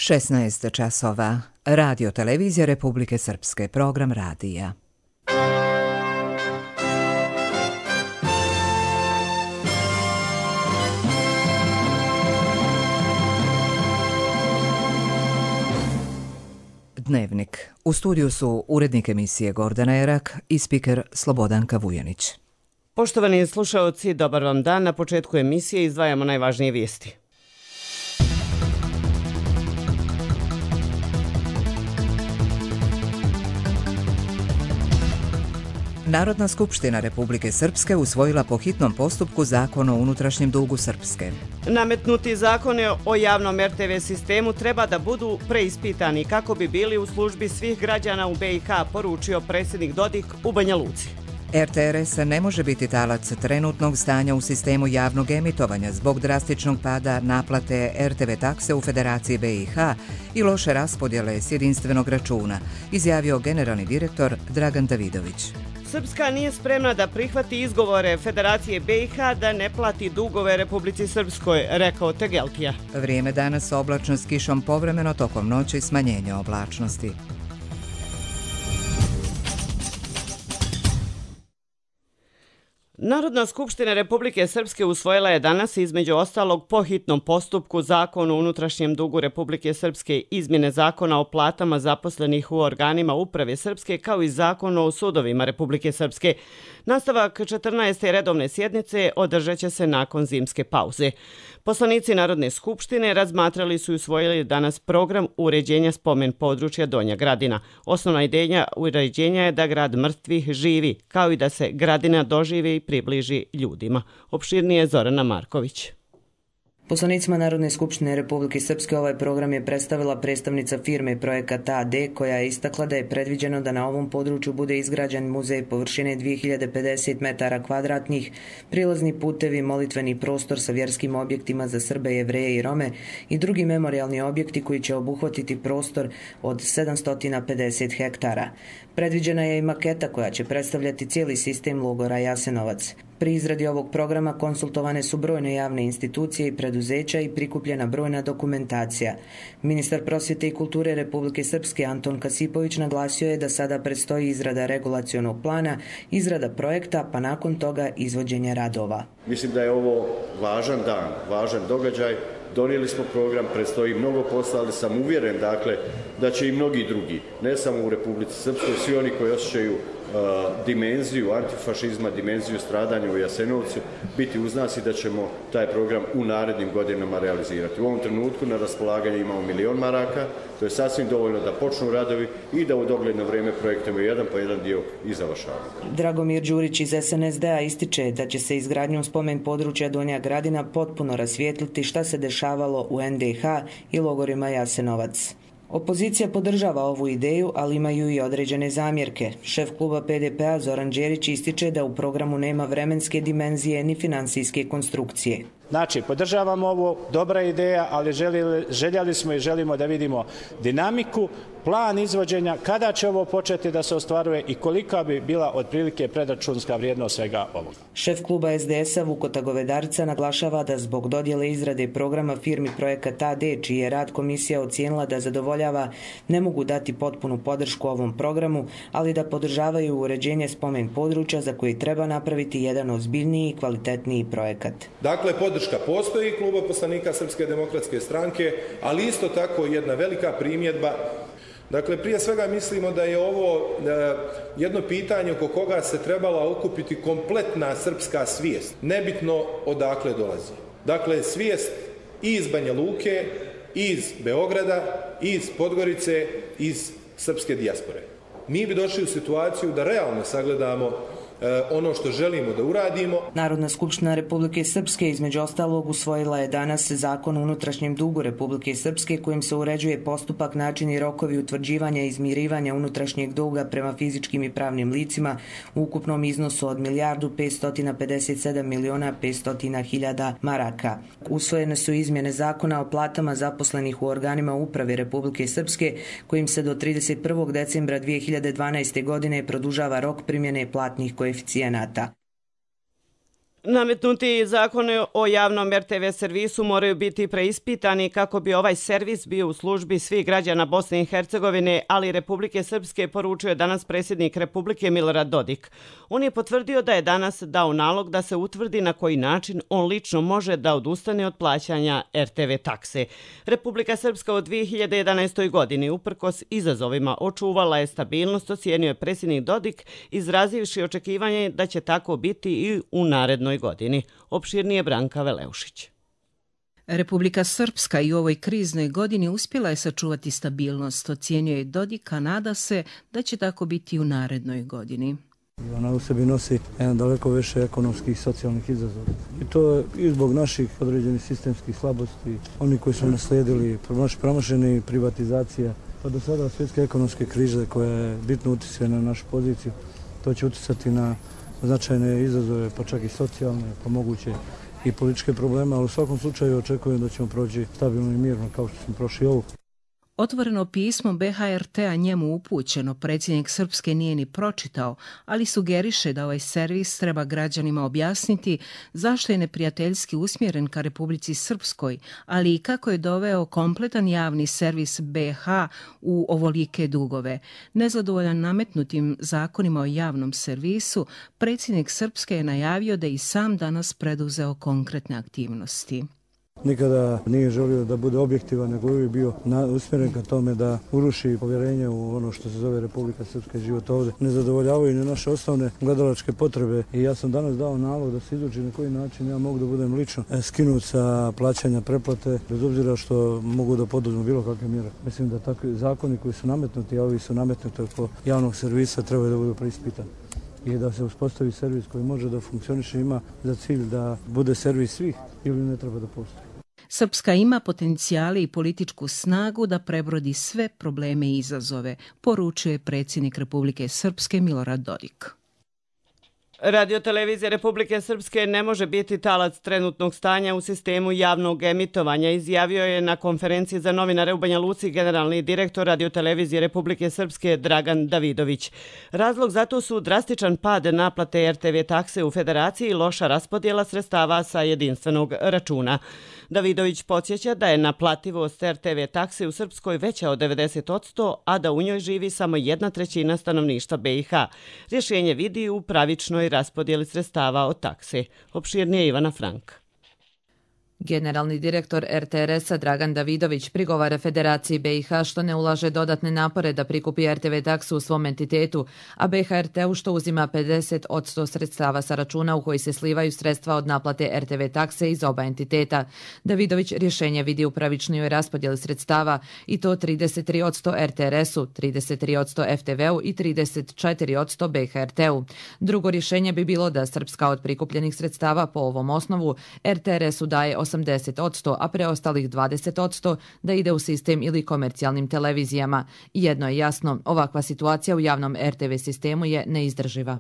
16 časova. Radio televizija Republike Srpske. Program radija. Dnevnik. U studiju su urednik emisije Gordana Erak i spiker Slobodanka Vujanić. Poštovani slušaoci, dobar vam dan. Na početku emisije izdvajamo najvažnije vijesti. Narodna skupština Republike Srpske usvojila po hitnom postupku Zakon o unutrašnjem dugu Srpske. Nametnuti zakone o javnom RTV sistemu treba da budu preispitani kako bi bili u službi svih građana u BiH, poručio predsjednik Dodik u Banja Luci. RTRS ne može biti talac trenutnog stanja u sistemu javnog emitovanja zbog drastičnog pada naplate RTV takse u Federaciji BiH i loše raspodjele s jedinstvenog računa, izjavio generalni direktor Dragan Davidović. Srpska nije spremna da prihvati izgovore Federacije BiH da ne plati dugove Republici Srpskoj, rekao Tegeltija. Vrijeme danas oblačno s kišom, povremeno tokom noći smanjenje oblačnosti. Narodna skupština Republike Srpske usvojila je danas između ostalog po hitnom postupku Zakon o unutrašnjem dugu Republike Srpske, izmjene Zakona o platama zaposlenih u organima uprave Srpske kao i Zakon o sudovima Republike Srpske. Nastavak 14. redovne sjednice održat će se nakon zimske pauze. Poslanici Narodne skupštine razmatrali su i usvojili danas program uređenja spomen područja Donja Gradina. Osnovna ideja uređenja je da grad mrtvih živi, kao i da se Gradina doživi i približi ljudima. Opširnije Zorana Marković. Poslanicima Narodne skupštine Republike Srpske ovaj program je predstavila predstavnica firme Projekat AD, koja je istakla da je predviđeno da na ovom području bude izgrađen muzej površine 2050 metara kvadratnih, prilazni putevi, molitveni prostor sa vjerskim objektima za Srbe, Jevreje i Rome i drugi memorijalni objekti koji će obuhvatiti prostor od 750 hektara. Predviđena je i maketa koja će predstavljati cijeli sistem logora Jasenovac. Pri izradi ovog programa konsultovane su brojne javne institucije i preduzeća i prikupljena brojna dokumentacija. Ministar prosvjete i kulture Republike Srpske Anton Kasipović naglasio je da sada predstoji izrada regulacionog plana, izrada projekta, pa nakon toga izvođenje radova. Mislim da je ovo važan dan, važan događaj. Donijeli smo program, predstoji mnogo posla, ali sam uvjeren da će i mnogi drugi, ne samo u Republici Srpskoj, svi oni koji osjećaju dimenziju antifašizma, dimenziju stradanja u Jasenovcu, biti uz nas i da ćemo taj program u narednim godinama realizirati. U ovom trenutku na raspolaganju imamo 1 milion maraka, to je sasvim dovoljno da počnu radovi i da u dogledno vrijeme projektujemo jedan po jedan dio i završavamo. Dragomir Đurić iz SNSD-a ističe da će se izgradnjom spomen područja Donja Gradina potpuno rasvijetliti šta se dešavalo u NDH i logorima Jasenovac. Opozicija podržava ovu ideju, ali imaju i određene zamjerke. Šef kluba PDP-a Zoran Đerić ističe da u programu nema vremenske dimenzije ni financijske konstrukcije. Znači, podržavamo ovo, dobra ideja, ali željeli smo i želimo da vidimo dinamiku, plan izvođenja, kada će ovo početi da se ostvaruje i kolika bi bila otprilike predračunska vrijednost svega ovoga. Šef kluba SDS-a Vukota Govedarca naglašava da zbog dodjele izrade programa firmi Projekat AD, čiji je rad komisija ocijenila da zadovoljava, ne mogu dati potpunu podršku ovom programu, ali da podržavaju uređenje spomen područja za koji treba napraviti jedan ozbiljniji i kvalitetniji projekat. Dakle, podrška postoji kluba poslanika Srpske demokratske stranke, ali isto tako jedna velika primjedba. Dakle, prije svega mislimo da je ovo jedno pitanje oko koga se trebala okupiti kompletna srpska svijest, nebitno odakle dolazi. Dakle, svijest i iz Banja Luke, iz Beograda, iz Podgorice, iz srpske dijaspore. Mi bi došli u situaciju da realno sagledamo ono što želimo da uradimo. Narodna skupština Republike Srpske između ostalog usvojila je danas Zakon o unutrašnjem dugu Republike Srpske kojim se uređuje postupak, način i rokovi utvrđivanja i izmirivanja unutrašnjeg duga prema fizičkim i pravnim licima u ukupnom iznosu od 1.557.500.000 maraka. Usvojene su izmjene Zakona o platama zaposlenih u organima uprave Republike Srpske kojim se do 31. decembra 2012. godine produžava rok primjene platnih koeficijenata. Nametnuti zakoni o javnom RTV servisu moraju biti preispitani kako bi ovaj servis bio u službi svih građana Bosne i Hercegovine, ali i Republike Srpske, poručio je danas predsjednik Republike Milorad Dodik. On je potvrdio da je danas dao nalog da se utvrdi na koji način on lično može da odustane od plaćanja RTV takse. Republika Srpska od 2011. godini uprkos izazovima očuvala je stabilnost, ocijenio je predsjednik Dodik, izrazivši očekivanje da će tako biti i u narednoj godini. Opširnije Branka Veleušić. Republika Srpska i u ovoj kriznoj godini uspjela je sačuvati stabilnost, ocijenio je Dodik, a nada se da će tako biti i u narednoj godini. Ona u sebi nosi jedan daleko više ekonomskih i socijalnih izazova. I to je i zbog naših određenih sistemskih slabosti, oni koji su naslijedili promašeni privatizacija, pa do sada svjetske ekonomske krize koja je bitno utjecala na našu poziciju. To će utjecati na značajne izazove, pa čak i socijalne, pa moguće i političke probleme, ali u svakom slučaju očekujem da ćemo proći stabilno i mirno kao što smo prošli ovu. Otvoreno pismo BHRT-a njemu upućeno predsjednik Srpske nije ni pročitao, ali sugeriše da ovaj servis treba građanima objasniti zašto je neprijateljski usmjeren ka Republici Srpskoj, ali i kako je doveo kompletan javni servis BH u ovolike dugove. Nezadovoljan nametnutim zakonima o javnom servisu, predsjednik Srpske je najavio da i sam danas preduzeo konkretne aktivnosti. Nikada nije želio da bude objektivan, nego uvijek bio usmjeren ka tome da uruši povjerenje u ono što se zove Republika Srpska i život ovdje. Ne zadovoljavaju ni naše osnovne gledalačke potrebe i ja sam danas dao nalog da se izuči na koji način ja mogu da budem lično skinut sa plaćanja pretplate, bez obzira što mogu da poduzmu bilo kakve mjere. Mislim da takvi zakoni koji su nametnuti, a ovi su nametnuti oko javnog servisa, trebaju da budu preispitani i da se uspostavi servis koji može da funkcioniše, ima za cilj da bude servis svih ili ne treba da postoji. Srpska ima potencijale i političku snagu da prebrodi sve probleme i izazove, poručuje predsjednik Republike Srpske Milorad Dodik. Radiotelevizija Republike Srpske ne može biti talac trenutnog stanja u sistemu javnog emitovanja, izjavio je na konferenciji za novinare u Banja Luci generalni direktor Radiotelevizije Republike Srpske Dragan Davidović. Razlog za to su drastičan pad naplate RTV takse u Federaciji i loša raspodjela sredstava sa jedinstvenog računa. Davidović podsjeća da je naplativost RTV takse u Srpskoj veća od 90%, a da u njoj živi samo 1/3 stanovništva BiH. Rješenje vidi u pravičnoj raspodjeli sredstava od takse. Opširnije Ivana Frank. Generalni direktor RTRS-a Dragan Davidović prigovara Federaciji BiH što ne ulaže dodatne napore da prikupi RTV taksu u svom entitetu, a BHRT-u što uzima 50% sredstava sa računa u koji se slivaju sredstva od naplate RTV takse iz oba entiteta. Davidović rješenje vidi u pravičnijoj raspodjeli sredstava i to 33% RTRS-u, 33% FTV-u i 34% BHRT-u. Drugo rješenje bi bilo da Srpska od prikupljenih sredstava po ovom osnovu RTRS-u daje 80%, a preostalih 20% da ide u sistem ili komercijalnim televizijama. Jedno je jasno, ovakva situacija u javnom RTV sistemu je neizdrživa.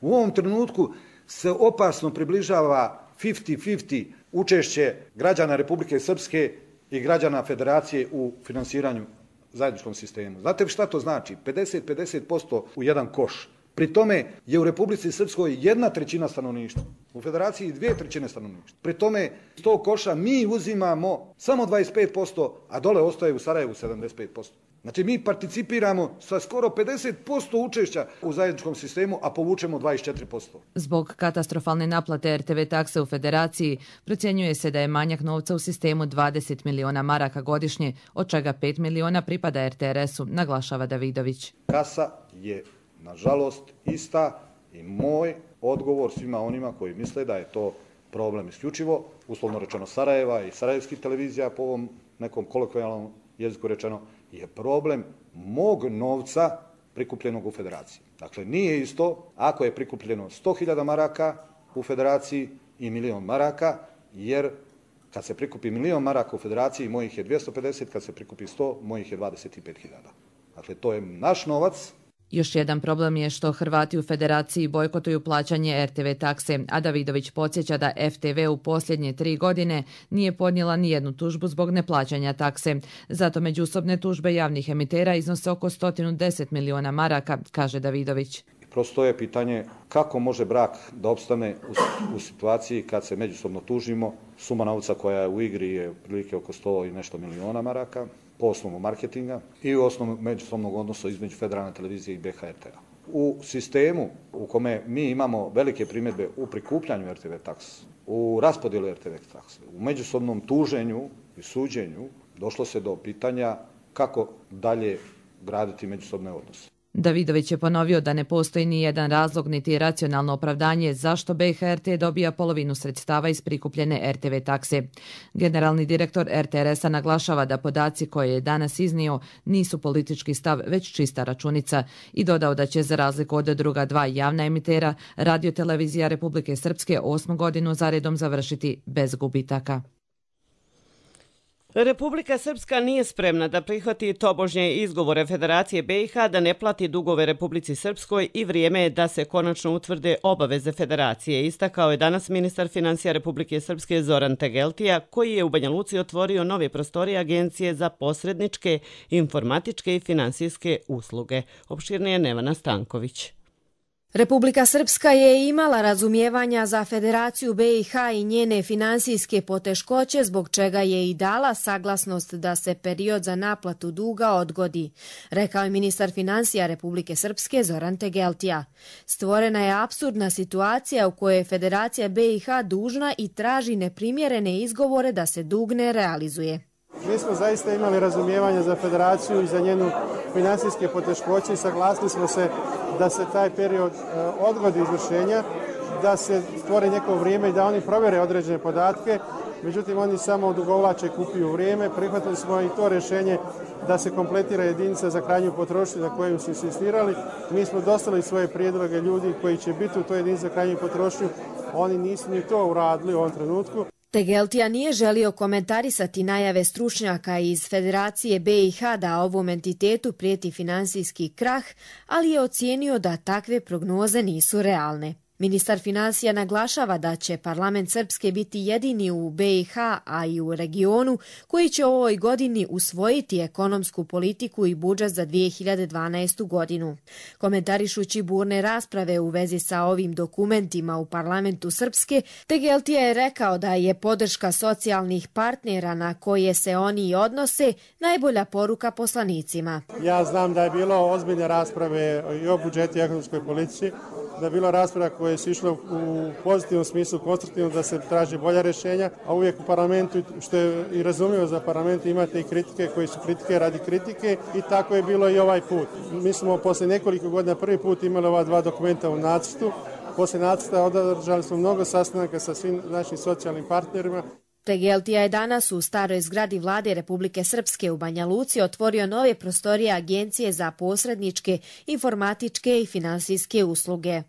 U ovom trenutku se opasno približava 50-50 učešće građana Republike Srpske i građana Federacije u finansiranju zajedničkom sistemu. Znate šta to znači? 50-50% u jedan koš. Pri tome je u Republici Srpskoj 1/3 stanovništva, u Federaciji 2/3 stanovništva. Pri tome iz tog koša mi uzimamo samo 25%, a dole ostaje u Sarajevu 75%. Znači mi participiramo sa skoro 50% učešća u zajedničkom sistemu, a povučemo 24%. Zbog katastrofalne naplate RTV takse u Federaciji procjenjuje se da je manjak novca u sistemu 20 miliona maraka godišnje, od čega 5 miliona pripada RTRS-u, naglašava Davidović. Kasa je nažalost ista i moj odgovor svima onima koji misle da je to problem isključivo, uslovno rečeno Sarajeva i sarajevskih televizija po ovom nekom kolokvijalnom jeziku rečeno, je problem mog novca prikupljenog u Federaciji. Dakle, nije isto ako je prikupljeno 100.000 maraka u Federaciji i 1.000.000 maraka, jer kad se prikupi 1.000.000 maraka u Federaciji, mojih je 250, kad se prikupi 100, mojih je 25.000. Dakle, to je naš novac. Još jedan problem je što Hrvati u Federaciji bojkotuju plaćanje RTV takse, a Davidović podsjeća da FTV u posljednje 3 godine nije podnijela ni jednu tužbu zbog neplaćanja takse. Zato međusobne tužbe javnih emitera iznose oko 110 miliona maraka, kaže Davidović. prosto je pitanje kako može brak da opstane u situaciji kad se međusobno tužimo. Suma novca koja je u igri je prilike oko 100 i nešto miliona maraka po osnovu marketinga i u osnovu međusobnog odnosa između Federalne televizije i BHRT-a. U sistemu u kome mi imamo velike primjedbe u prikupljanju RTV takse, u raspodjelu RTV takse, u međusobnom tuženju i suđenju, došlo se do pitanja kako dalje graditi međusobne odnose. Davidović je ponovio da ne postoji ni jedan razlog niti racionalno opravdanje zašto BHRT dobija polovinu sredstava iz prikupljene RTV takse. Generalni direktor RTRS-a naglašava da podaci koje je danas iznio nisu politički stav, već čista računica i dodao da će za razliku od druga dva javna emitera Radio-televizija Republike Srpske 8. godinu zaredom završiti bez gubitaka. Republika Srpska nije spremna da prihvati tobožnje izgovore Federacije BiH da ne plati dugove Republici Srpskoj i vrijeme je da se konačno utvrde obaveze Federacije, istakao je danas ministar financija Republike Srpske Zoran Tegeltija, koji je u Banja Luci otvorio nove prostorije Agencije za posredničke, informatičke i finansijske usluge. Opširnije Nevana Stanković. Republika Srpska je imala razumijevanja za Federaciju BiH i njene finansijske poteškoće, zbog čega je i dala saglasnost da se period za naplatu duga odgodi, rekao je ministar financija Republike Srpske Zoran Tegeltija. Stvorena je apsurdna situacija u kojoj je Federacija BiH dužna i traži neprimjerene izgovore da se dug ne realizuje. Mi smo zaista imali razumijevanje za Federaciju i za njenu finansijske poteškoće i saglasili smo se da se taj period odgodi izvršenja, da se stvori neko vrijeme i da oni provjere određene podatke. Međutim, oni samo odugovlače, kupuju vrijeme. Prihvatili smo i to rješenje da se kompletira jedinica za krajnju potrošnju na koju su insistirali. Mi smo dostavili svoje prijedloge ljudi koji će biti u toj jedinici za krajnju potrošnju. Oni nisu ni to uradili u ovom trenutku. Tegeltija nije želio komentarisati najave stručnjaka iz Federacije BiH da ovom entitetu prijeti finansijski krah, ali je ocijenio da takve prognoze nisu realne. Ministar financija naglašava da će parlament Srpske biti jedini u BiH, a i u regionu, koji će u ovoj godini usvojiti ekonomsku politiku i budžet za 2012. godinu. Komentarišući burne rasprave u vezi sa ovim dokumentima u parlamentu Srpske, Tegeltija je rekao da je podrška socijalnih partnera na koje se oni odnose najbolja poruka poslanicima. Ja znam da je bilo ozbiljne rasprave i o budžetu i ekonomskoj politici, da je bilo rasprava koje su išle u pozitivnom smislu, konstruktivno, da se traži bolja rješenja, a uvijek u parlamentu, što je i razumljivo za parlament, imate i kritike koje su kritike radi kritike i tako je bilo i ovaj put. Mi smo poslije nekoliko godina prvi put imali ova dva dokumenta u nacrtu. Poslije nacrta održali smo mnogo sastanaka sa svim našim socijalnim partnerima. Tegeltija je danas u staroj zgradi Vlade Republike Srpske u Banja Luci otvorio nove prostorije Agencije za posredničke, informatičke i finansijske usluge.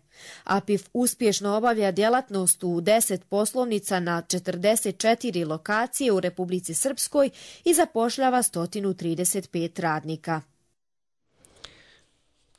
APIF uspješno obavlja djelatnost u 10 poslovnica na 44 lokacije u Republici Srpskoj i zapošljava 135 radnika.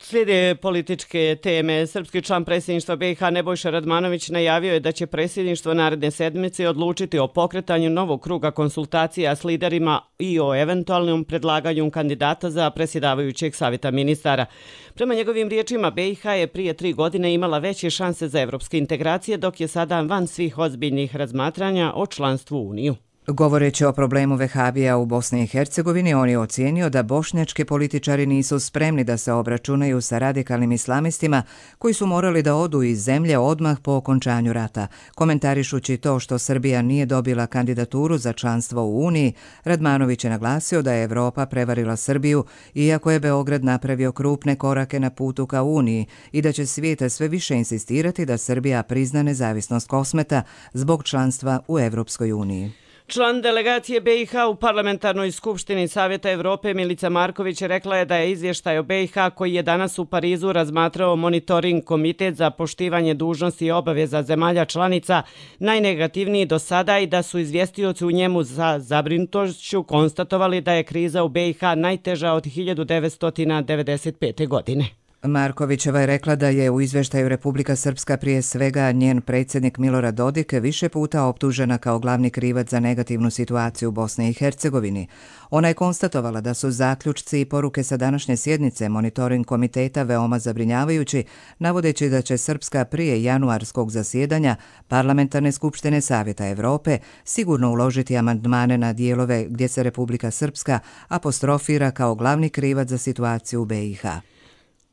Slijede političke teme. Srpski član predsjedništva BiH Nebojša Radmanović najavio je da će predsjedništvo naredne sedmice odlučiti o pokretanju novog kruga konsultacija s liderima i o eventualnom predlaganju kandidata za predsjedavajućeg savjeta ministara. Prema njegovim riječima, BiH je prije 3 godine imala veće šanse za evropske integracije, dok je sada van svih ozbiljnih razmatranja o članstvu u Uniju. Govoreći o problemu vehabija u Bosni i Hercegovini, on je ocijenio da bošnjački političari nisu spremni da se obračunaju sa radikalnim islamistima koji su morali da odu iz zemlje odmah po okončanju rata. Komentarišući to što Srbija nije dobila kandidaturu za članstvo u Uniji, Radmanović je naglasio da je Evropa prevarila Srbiju, iako je Beograd napravio krupne korake na putu ka Uniji i da će svijet sve više insistirati da Srbija prizna nezavisnost Kosmeta zbog članstva u Evropskoj uniji. Član delegacije BiH u Parlamentarnoj skupštini Savjeta Evrope Milica Marković rekla je da je izvještaj o BiH koji je danas u Parizu razmatrao monitoring komitet za poštivanje dužnosti i obaveza zemalja članica najnegativniji do sada i da su izvjestioci u njemu za zabrinutošću konstatovali da je kriza u BiH najteža od 1995. godine. Markovićeva je rekla da je u izveštaju Republika Srpska prije svega njen predsjednik Milorad Dodik više puta optužena kao glavni krivac za negativnu situaciju u Bosni i Hercegovini. Ona je konstatovala da su zaključci i poruke sa današnje sjednice monitoring komiteta veoma zabrinjavajući, navodeći da će Srpska prije januarskog zasjedanja Parlamentarne skupštine Savjeta Evrope sigurno uložiti amandmane na dijelove gdje se Republika Srpska apostrofira kao glavni krivac za situaciju u BiH.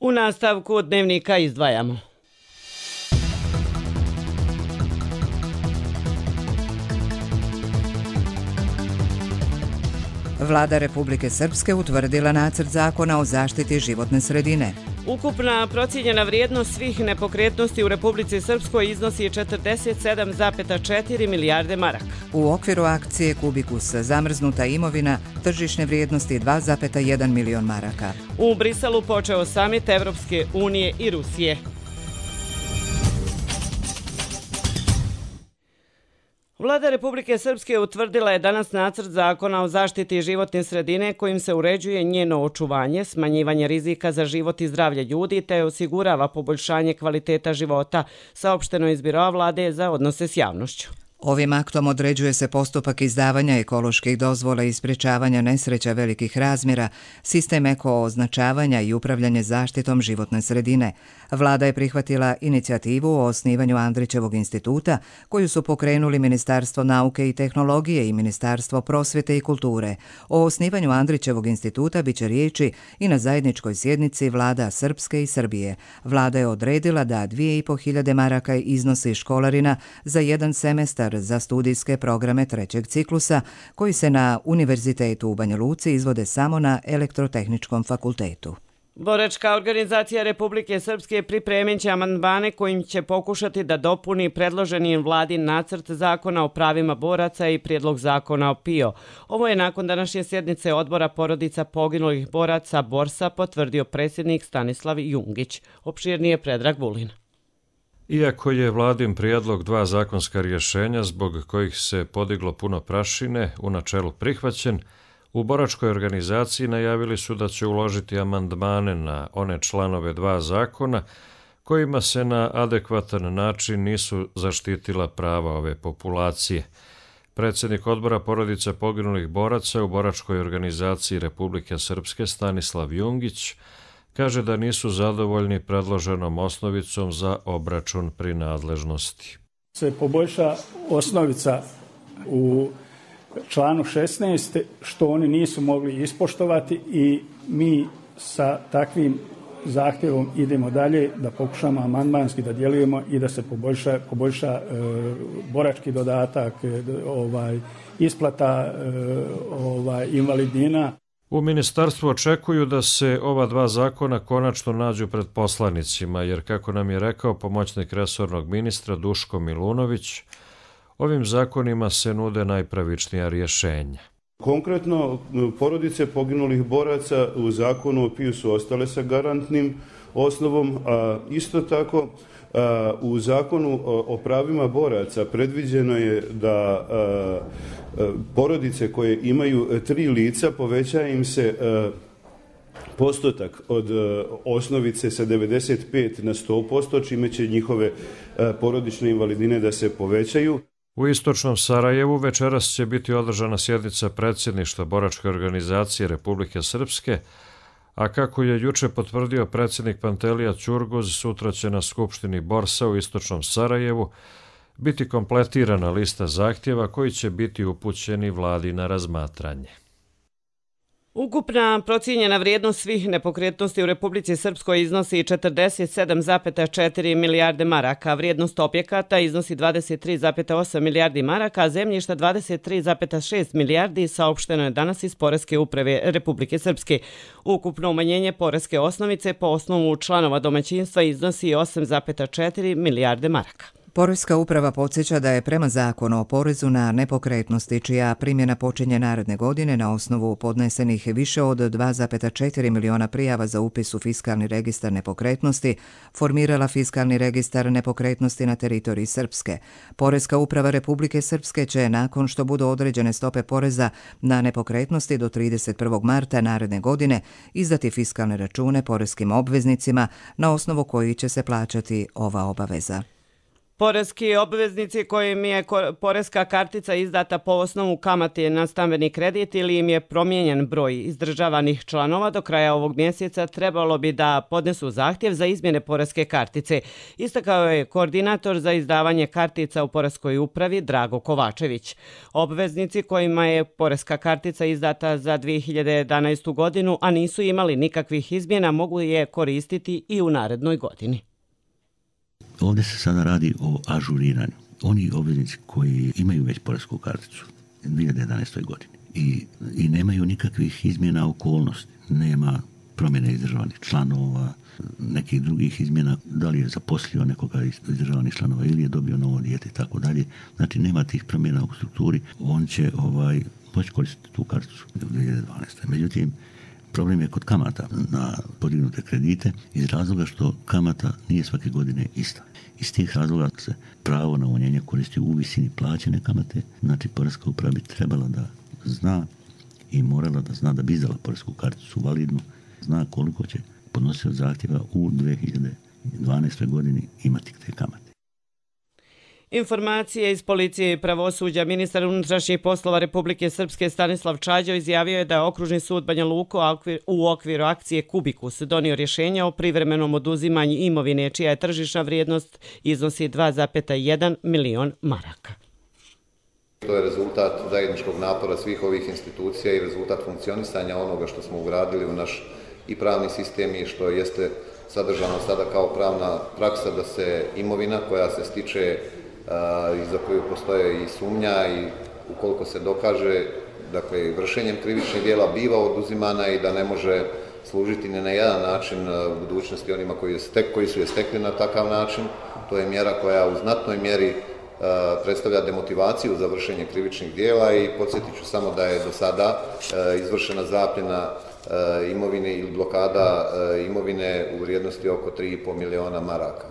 U nastavku dnevnika izdvajamo. Vlada Republike Srpske utvrdila nacrt zakona o zaštiti životne sredine. Ukupna procijenjena vrijednost svih nepokretnosti u Republici Srpskoj iznosi 47,4 milijarde maraka. U okviru akcije Kubikus zamrznuta imovina tržišne vrijednosti 2,1 milion maraka. U Briselu počeo samit Evropske unije i Rusije. Vlada Republike Srpske utvrdila je danas nacrt zakona o zaštiti životne sredine kojim se uređuje njeno očuvanje, smanjivanje rizika za život i zdravlje ljudi te osigurava poboljšanje kvaliteta života, saopšteno je iz Biroa vlade za odnose s javnošću. Ovim aktom određuje se postupak izdavanja ekoloških dozvola i sprječavanja nesreća velikih razmjera, sistem eko-označavanja i upravljanje zaštitom životne sredine. Vlada je prihvatila inicijativu o osnivanju Andrićevog instituta, koju su pokrenuli Ministarstvo nauke i tehnologije i Ministarstvo prosvjete i kulture. O osnivanju Andrićevog instituta biće riječi i na zajedničkoj sjednici vlada Srpske i Srbije. Vlada je odredila da 2.500 maraka iznosi školarina za jedan semestar za studijske programe trećeg ciklusa koji se na Univerzitetu u Banja Luci izvode samo na Elektrotehničkom fakultetu. Boračka organizacija Republike Srpske pripremit će amandmane kojim će pokušati da dopuni predloženi vladin nacrt zakona o pravima boraca i prijedlog zakona o PIO. Ovo je nakon današnje sjednice odbora porodica poginulih boraca Borsa potvrdio predsjednik Stanislav Jungić. Opširnije Predrag Vulin. Iako je vladin prijedlog dva zakonska rješenja zbog kojih se podiglo puno prašine u načelu prihvaćen, u boračkoj organizaciji najavili su da će uložiti amandmane na one članove dva zakona kojima se na adekvatan način nisu zaštitila prava ove populacije. Predsjednik odbora porodica poginulih boraca u boračkoj organizaciji Republike Srpske Stanislav Jungić kaže da nisu zadovoljni predloženom osnovicom za obračun prinadležnosti. Se poboljša osnovica u članu 16 što oni nisu mogli ispoštovati i mi sa takvim zahtjevom idemo dalje da pokušamo amandmanski da djelujemo i da se poboljša borački dodatak, isplata invalidnina. U ministarstvu očekuju da se ova dva zakona konačno nađu pred poslanicima, jer kako nam je rekao pomoćnik resornog ministra Duško Milunović, ovim zakonima se nude najpravičnija rješenja. Konkretno, porodice poginulih boraca u zakonu o PIO su ostale sa garantnim osnovom, a isto tako u zakonu o pravima boraca predviđeno je da porodice koje imaju 3 lica poveća im se postotak od osnovice sa 95 na 100%, čime će njihove porodične invalidine da se povećaju. U istočnom Sarajevu večeras će biti održana sjednica predsjedništva boračke organizacije Republike Srpske, a kako je juče potvrdio predsjednik Pantelija Ćurguz, sutra će na Skupštini Borsa u istočnom Sarajevu biti kompletirana lista zahtjeva koji će biti upućeni vladi na razmatranje. Ukupna procijenjena vrijednost svih nepokretnosti u Republici Srpskoj iznosi 47,4 milijarde maraka, vrijednost objekata iznosi 23,8 milijardi maraka, a zemljišta 23,6 milijardi, saopšteno je danas iz Poreske uprave Republike Srpske. Ukupno umanjenje poreske osnovice po osnovu članova domaćinstva iznosi 8,4 milijarde maraka. Poreska uprava podsjeća da je prema zakonu o porezu na nepokretnosti, čija primjena počinje naredne godine na osnovu podnesenih više od 2,4 miliona prijava za upis u fiskalni registar nepokretnosti, formirala fiskalni registar nepokretnosti na teritoriji Srpske. Poreska uprava Republike Srpske će, nakon što budu određene stope poreza na nepokretnosti do 31. marta naredne godine, izdati fiskalne račune poreskim obveznicima na osnovu koji će se plaćati ova obaveza. Poreski obveznici kojim je poreska kartica izdata po osnovu kamate na stambeni kredit ili im je promijenjen broj izdržavanih članova do kraja ovog mjeseca trebalo bi da podnesu zahtjev za izmjene poreske kartice. Istakao je koordinator za izdavanje kartica u poreskoj upravi Drago Kovačević. Obveznici kojima je poreska kartica izdata za 2011. godinu, a nisu imali nikakvih izmjena, mogu je koristiti i u narednoj godini. Ovdje se sada radi o ažuriranju. Oni obveznici koji imaju već poresku karticu u 2011. godini i nemaju nikakvih izmjena okolnosti, nema promjene izdržavanih članova, nekih drugih izmjena, da li je zaposlio nekoga iz izdržavanih članova ili je dobio novo dijete i tako dalje. Znači nema tih promjena u strukturi, on će moći koristiti tu karticu u 2012. Međutim, problem je kod kamata na podignute kredite iz razloga što kamata nije svake godine ista. Iz tih razloga se pravo na umanjenje koristi u visini plaćene kamate. Znači, poreska uprava bi trebala da zna i morala da zna da bi izdala poresku karticu validnu, zna koliko će podnosioc zahtjeva u 2012. godini imati te kamate. Informacije iz policije i pravosuđa. Ministar unutrašnjih poslova Republike Srpske Stanislav Čađo izjavio je da je Okružni sud Banja Luka u okviru akcije Kubikus donio rješenje o privremenom oduzimanju imovine čija je tržišna vrijednost iznosi 2,1 milion maraka. To je rezultat zajedničkog napora svih ovih institucija i rezultat funkcionisanja onoga što smo ugradili u naš i pravni sistem i što jeste sadržano sada kao pravna praksa da se imovina koja se stiče i za koju postoje i sumnja i ukoliko se dokaže, dakle, vršenjem krivičnih djela biva oduzimana i da ne može služiti ni na jedan način u budućnosti onima koji su je stekli na takav način. To je mjera koja u znatnoj mjeri predstavlja demotivaciju za vršenje krivičnih djela i podsjetit ću samo da je do sada izvršena zapljena imovine ili blokada imovine u vrijednosti oko 3,5 miliona maraka.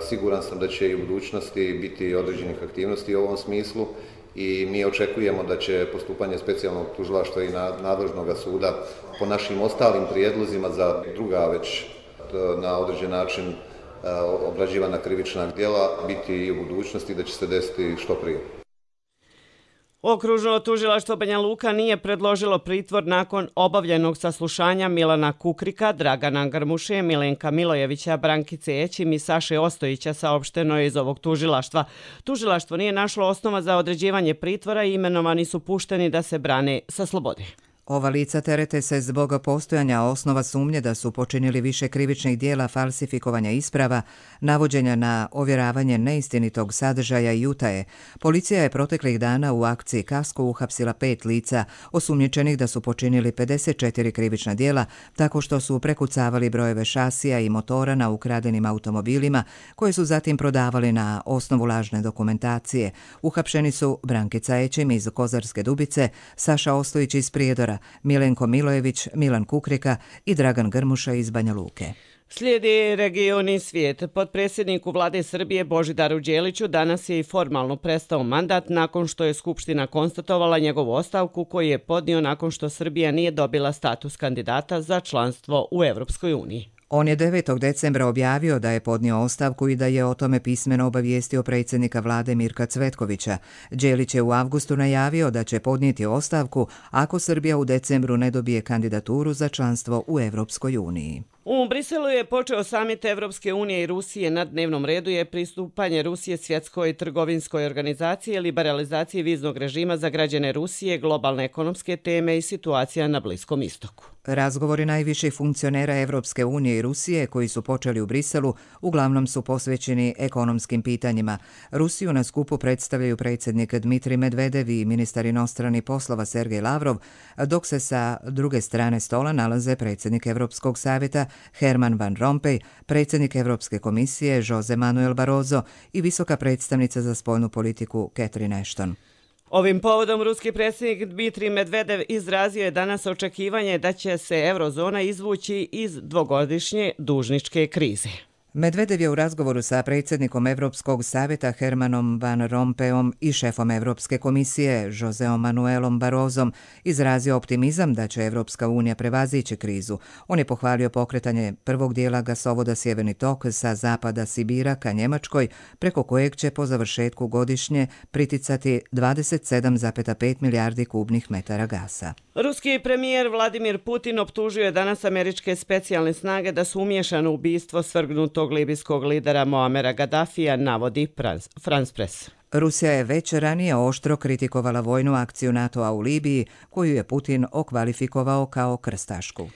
Siguran sam da će i u budućnosti biti određenih aktivnosti u ovom smislu i mi očekujemo da će postupanje specijalnog tužilaštva i nadležnog suda po našim ostalim prijedlozima za druga već na određen način obrađivana krivična djela biti i u budućnosti, da će se desiti što prije. Okružno tužilaštvo Banja Luka nije predložilo pritvor nakon obavljenog saslušanja Milana Kukrika, Dragana Grmuše, Milenka Milojevića, Brankice Ećim i Saše Ostojića, saopšteno je iz ovog tužilaštva. Tužilaštvo nije našlo osnova za određivanje pritvora i imenovani su pušteni da se brane sa slobode. Ova lica terete se zbog postojanja osnova sumnje da su počinili više krivičnih dijela falsifikovanja isprava, navođenja na ovjeravanje neistinitog sadržaja i utaje. Policija je proteklih dana u akciji Kasko uhapsila 5 lica osumnjičenih da su počinili 54 krivična dijela tako što su prekucavali brojeve šasija i motora na ukradenim automobilima koje su zatim prodavali na osnovu lažne dokumentacije. Uhapšeni su Brankica Ećim iz Kozarske Dubice, Saša Ostojić iz Prijedora, Milenko Milojević, Milan Kukrika i Dragan Grmuša iz Banja Luke. Slijedi region i svijet. Potpredsjedniku vlade Srbije Božidaru Đeliću danas je i formalno prestao mandat nakon što je Skupština konstatovala njegovu ostavku koju je podnio nakon što Srbija nije dobila status kandidata za članstvo u Evropskoj uniji. On je 9. decembra objavio da je podnio ostavku i da je o tome pismeno obavijestio predsjednika vlade Mirka Cvetkovića. Đelić je u avgustu najavio da će podnijeti ostavku ako Srbija u decembru ne dobije kandidaturu za članstvo u Evropskoj uniji. U Briselu je počeo samit Evropske unije i Rusije. Na dnevnom redu je pristupanje Rusije svjetskoj trgovinskoj organizaciji, liberalizaciji viznog režima za građane Rusije, globalne ekonomske teme i situacija na Bliskom istoku. Razgovori najviših funkcionera Evropske unije i Rusije koji su počeli u Briselu uglavnom su posvećeni ekonomskim pitanjima. Rusiju na skupu predstavljaju predsjednik Dmitrij Medvedev i ministar inostranih poslova Sergej Lavrov, dok se sa druge strane stola nalaze predsjednik Evropskog savjeta Herman Van Rompuy, predsjednik Europske komisije Jose Manuel Barroso i visoka predstavnica za spoljnu politiku Catherine Ashton. Ovim povodom ruski predsjednik Dmitrij Medvedev izrazio je danas očekivanje da će se eurozona izvući iz dvogodišnje dužničke krize. Medvedev je u razgovoru sa predsjednikom Europskog savjeta Hermanom Van Rompuyom i šefom Europske komisije Joseom Manuelom Barrosom izrazio optimizam da će Europska unija prevazići krizu. On je pohvalio pokretanje prvog dijela gasovoda Sjeverni tok sa zapada Sibira ka Njemačkoj, preko kojeg će po završetku godišnje priticati 27,5 milijardi kubnih metara gasa. Ruski premijer Vladimir Putin optužio je danas američke specijalne snage da su umiješane u ubistvo svrgnutog libijskog lidera Moamera Gaddafija, navodi France Press. Rusija je već ranije oštro kritikovala vojnu akciju NATO-a u Libiji, koju je Putin okvalifikovao kao krstašku.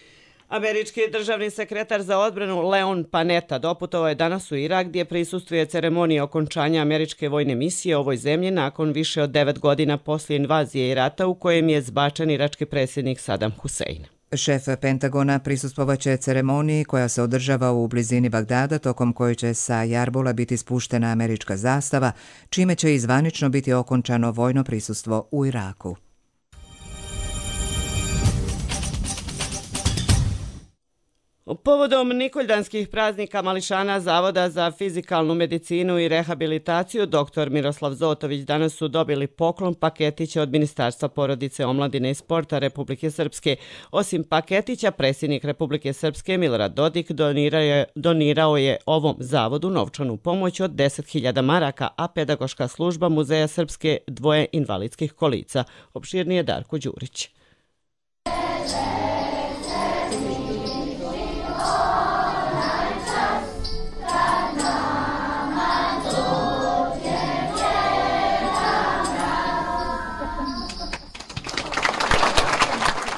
Američki državni sekretar za odbranu Leon Panetta doputovao je danas u Irak gdje prisustvuje ceremoniji okončanja američke vojne misije u ovoj zemlji nakon više od 9 godina poslije invazije i rata u kojem je zbačen irački predsjednik Saddam Hussein. Šef Pentagona prisustvovaće ceremoniji koja se održava u blizini Bagdada, tokom koje će sa Jarbula biti spuštena američka zastava, čime će i zvanično biti okončano vojno prisustvo u Iraku. Povodom Nikoljdanskih praznika mališana Zavoda za fizikalnu medicinu i rehabilitaciju dr. Miroslav Zotović danas su dobili poklon paketića od Ministarstva porodice, omladine i sporta Republike Srpske. Osim paketića, predsjednik Republike Srpske Milorad Dodik donirao je ovom zavodu novčanu pomoć od 10.000 maraka, a pedagoška služba Muzeja Srpske 2 invalidskih kolica. Opširnije Darko Đurić.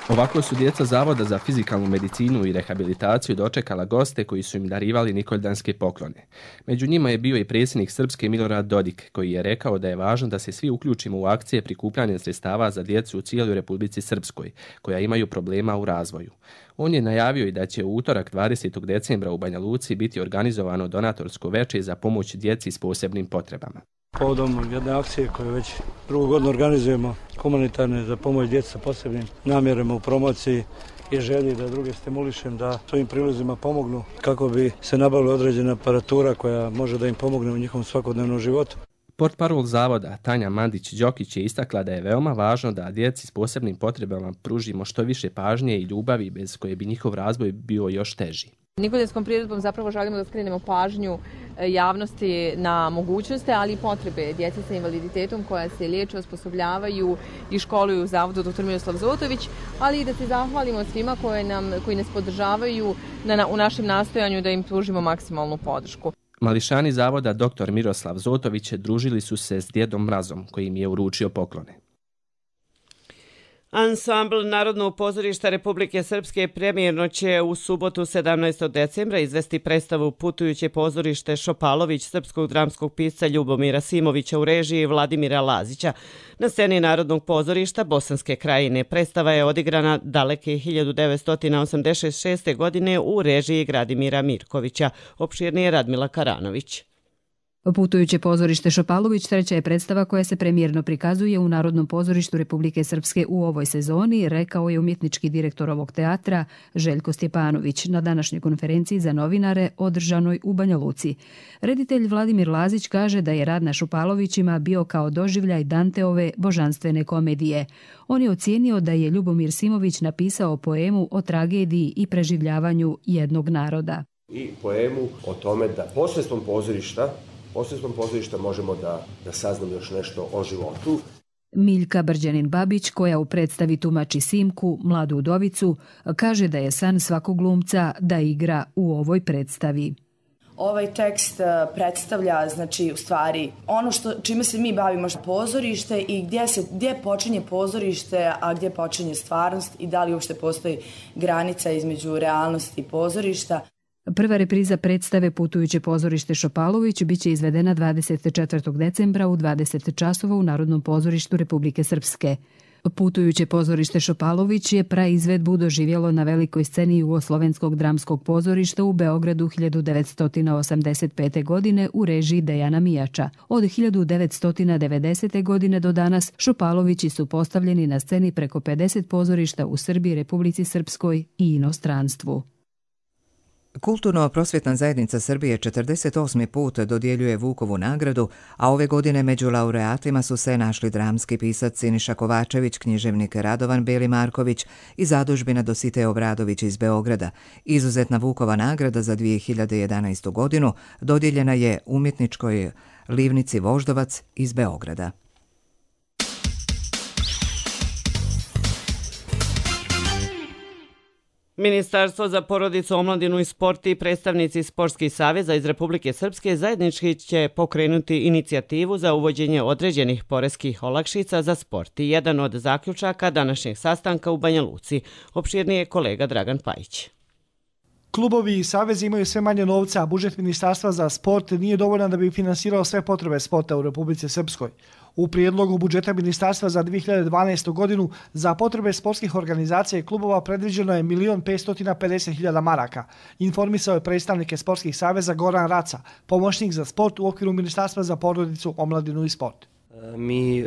Ovako su djeca Zavoda za fizikalnu medicinu i rehabilitaciju dočekala goste koji su im darivali nikoljdanske poklone. Među njima je bio i predsjednik Srpske Milorad Dodik, koji je rekao da je važno da se svi uključimo u akcije prikupljanja sredstava za djecu u cijeloj Republici Srpskoj, koja imaju problema u razvoju. On je najavio i da će u utorak 20. decembra u Banja Luci biti organizovano donatorsko veče za pomoć djeci s posebnim potrebama. Povodom jedne akcije koju već drugu godinu organizujemo, humanitarne za pomoć djeci sa posebnim namjerama u promociji i želji da druge stimulišem da svojim prilozima pomognu kako bi se nabavila određena aparatura koja može da im pomogne u njihovom svakodnevnom životu. Portparol zavoda Tanja Mandić-Đokić je istakla da je veoma važno da djeci s posebnim potrebama pružimo što više pažnje i ljubavi bez koje bi njihov razvoj bio još teži. Nikoljanskom priredbom zapravo želimo da skrenemo pažnju javnosti na mogućnosti, ali i potrebe djece sa invaliditetom koja se liječe, osposobljavaju i školuju u Zavodu dr. Miroslav Zotović, ali i da se zahvalimo svima koji nas podržavaju u našem nastojanju da im pružimo maksimalnu podršku. Mališani Zavoda dr. Miroslav Zotović družili su se s Djedom Mrazom, koji im je uručio poklone. Ansambl Narodnog pozorišta Republike Srpske premijerno će u subotu 17. decembra izvesti predstavu Putujuće pozorište Šopalović srpskog dramskog pisca Ljubomira Simovića u režiji Vladimira Lazića. Na sceni Narodnog pozorišta Bosanske Krajine predstava je odigrana daleke 1986. godine u režiji Gradimira Mirkovića. Opširnije Radmila Karanović. Putujuće pozorište Šopalović treća je predstava koja se premijerno prikazuje u Narodnom pozorištu Republike Srpske u ovoj sezoni, rekao je umjetnički direktor ovog teatra Željko Stjepanović na današnjoj konferenciji za novinare održanoj u Banja Luci. Reditelj Vladimir Lazić kaže da je rad na Šopalovićima bio kao doživljaj Danteove božanstvene komedije. On je ocijenio da je Ljubomir Simović napisao poemu o tragediji i preživljavanju jednog naroda. I poemu o tome da posredstvom pozorišta možemo da saznamo još nešto o životu. Miljka Brđanin-Babić, koja u predstavi tumači Simku, mladu udovicu, kaže da je san svakog glumca da igra u ovoj predstavi. Ovaj tekst predstavlja, znači, u stvari ono čime se mi bavimo, pozorište i gdje počinje pozorište, a gdje počinje stvarnost i da li uopšte postoji granica između realnosti i pozorišta. Prva repriza predstave Putujuće pozorište Šopalović biće izvedena 24. decembra u 20 časova u Narodnom pozorištu Republike Srpske. Putujuće pozorište Šopalović je praizvedbu doživjelo na velikoj sceni Jugoslovenskog dramskog pozorišta u Beogradu 1985. godine u režiji Dejana Mijača. Od 1990. godine do danas Šopalovići su postavljeni na sceni preko 50 pozorišta u Srbiji, Republici Srpskoj i inostranstvu. Kulturno-prosvjetna zajednica Srbije 48. put dodjeljuje Vukovu nagradu, a ove godine među laureatima su se našli dramski pisac Siniša Kovačević, književnik Radovan Beli Marković i zadužbina Dositej Obradović iz Beograda. Izuzetna Vukova nagrada za 2011. godinu dodijeljena je umjetničkoj Livnici Voždovac iz Beograda. Ministarstvo za porodicu, omladinu i sport i predstavnici sportskih saveza iz Republike Srpske zajednički će pokrenuti inicijativu za uvođenje određenih poreskih olakšica za sport. I jedan od zaključaka današnjeg sastanka u Banja Luci. Opširnije je kolega Dragan Pajić. Klubovi i savezi imaju sve manje novca, a budžet Ministarstva za sport nije dovoljan da bi finansirao sve potrebe sporta u Republici Srpskoj. U prijedlogu budžeta Ministarstva za 2012. godinu za potrebe sportskih organizacija i klubova predviđeno je 1.550.000 maraka, informisao je predstavnike sportskih saveza Goran Raca, pomoćnik za sport u okviru Ministarstva za porodicu, omladinu i sport. Mi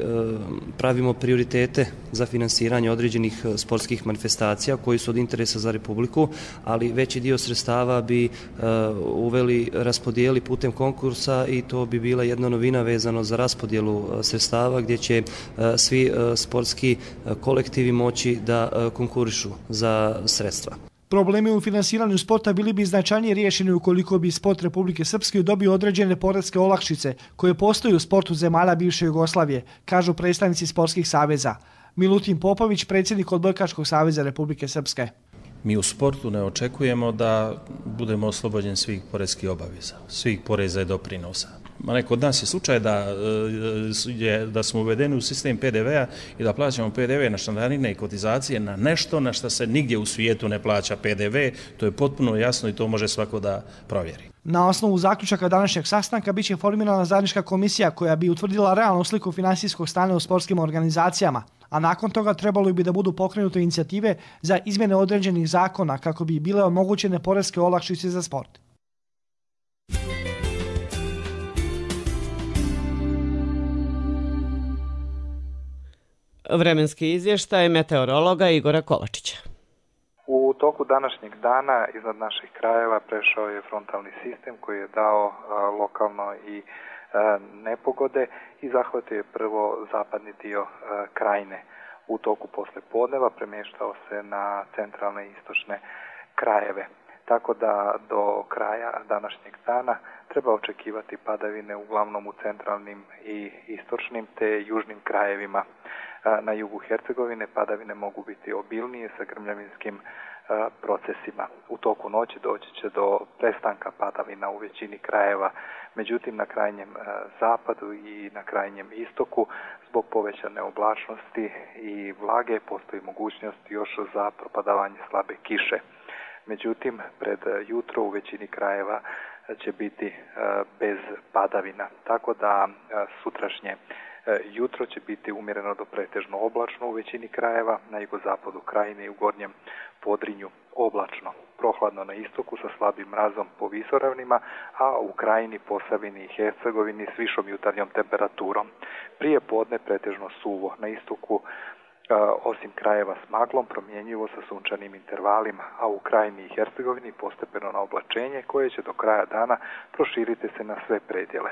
pravimo prioritete za finansiranje određenih sportskih manifestacija koji su od interesa za Republiku, ali veći dio sredstava bi uveli raspodijeli putem konkursa i to bi bila jedna novina vezano za raspodjelu sredstava gdje će svi sportski kolektivi moći da konkurišu za sredstva. Problemi u finansiranju sporta bili bi značajnije riješeni ukoliko bi sport Republike Srpske dobio određene poreske olakšice koje postoji u sportu zemalja bivše Jugoslavije, kažu predstavnici sportskih saveza. Milutin Popović, predsjednik Odbojkaškog saveza Republike Srpske. Mi u sportu ne očekujemo da budemo oslobođeni svih poreskih obaveza, svih poreza i doprinosa. Kod nas je slučaj da smo uvedeni u sistem PDV-a i da plaćamo PDV na članarine i kotizacije na nešto na što se nigdje u svijetu ne plaća PDV. To je potpuno jasno i to može svako da provjeri. Na osnovu zaključaka današnjeg sastanka biće formirana zajednička komisija koja bi utvrdila realnu sliku finansijskog stanja u sportskim organizacijama, a nakon toga trebalo bi da budu pokrenute inicijative za izmjene određenih zakona kako bi bile omogućene poreske olakšice za sport. Vremenski izvještaj meteorologa Igora Kovačića. U toku današnjeg dana iznad naših krajeva prešao je frontalni sistem koji je dao lokalno i nepogode i zahvatio je prvo zapadni dio krajine. U toku poslepodneva premještao se na centralne i istočne krajeve. Tako da do kraja današnjeg dana treba očekivati padavine uglavnom u centralnim i istočnim te južnim krajevima. Na jugu Hercegovine padavine mogu biti obilnije sa grmljavinskim procesima. U toku noći doći će do prestanka padavina u većini krajeva, međutim na krajnjem zapadu i na krajnjem istoku zbog povećane oblačnosti i vlage postoji mogućnost još za propadavanje slabe kiše. Međutim, pred jutro u većini krajeva će biti bez padavina, tako da sutrašnje jutro će biti umjereno do pretežno oblačno u većini krajeva, na jugozapadu krajine i u gornjem Podrinju oblačno. Prohladno na istoku sa slabim mrazom po visoravnima, a u krajini, Posavini i Hercegovini s višom jutarnjom temperaturom. Prije podne pretežno suvo, na istoku osim krajeva s maglom promjenjivo sa sunčanim intervalima, a u krajini i Hercegovini postepeno na oblačenje koje će do kraja dana proširiti se na sve predjele.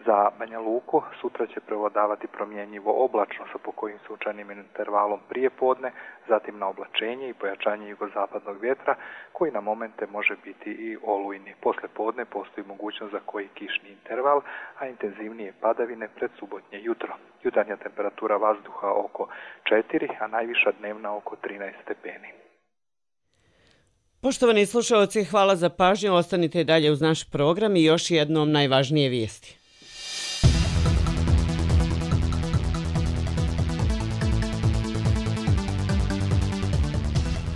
Za Banja Luku sutra će prevladavati promjenjivo oblačno sa pokojim sunčanim intervalom prije podne, zatim na oblačenje i pojačanje jugozapadnog vjetra koji na momente može biti i olujni. Posle podne postoji mogućnost za koji kišni interval, a intenzivnije padavine pred subotnje jutro. Jutarnja temperatura vazduha oko 4, a najviša dnevna oko 13 stepeni. Poštovani slušalci, hvala za pažnju. Ostanite dalje uz naš program i još jednom najvažnije vijesti.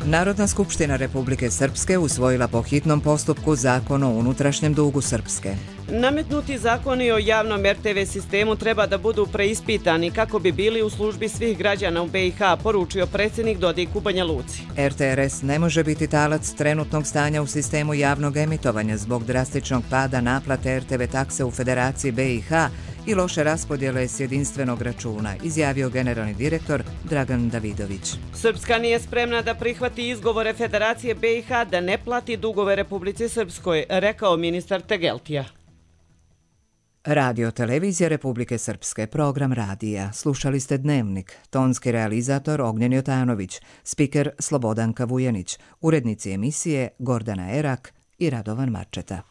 Narodna skupština Republike Srpske usvojila po hitnom postupku Zakon o unutrašnjem dugu Srpske. Nametnuti zakoni o javnom RTV sistemu treba da budu preispitani kako bi bili u službi svih građana u BiH, poručio predsjednik Dodik u Banja Luci. RTRS ne može biti talac trenutnog stanja u sistemu javnog emitovanja zbog drastičnog pada naplate RTV takse u Federaciji BiH i loše raspodjele s jedinstvenog računa, izjavio generalni direktor Dragan Davidović. Srpska nije spremna da prihvati izgovore Federacije BiH da ne plati dugove Republici Srpskoj, rekao ministar Tegeltija. Radio Televizija Republike Srpske, program radija. Slušali ste Dnevnik, tonski realizator Ognjen Jotanović, spiker Slobodanka Vujanić, urednici emisije Gordana Erak i Radovan Marčeta.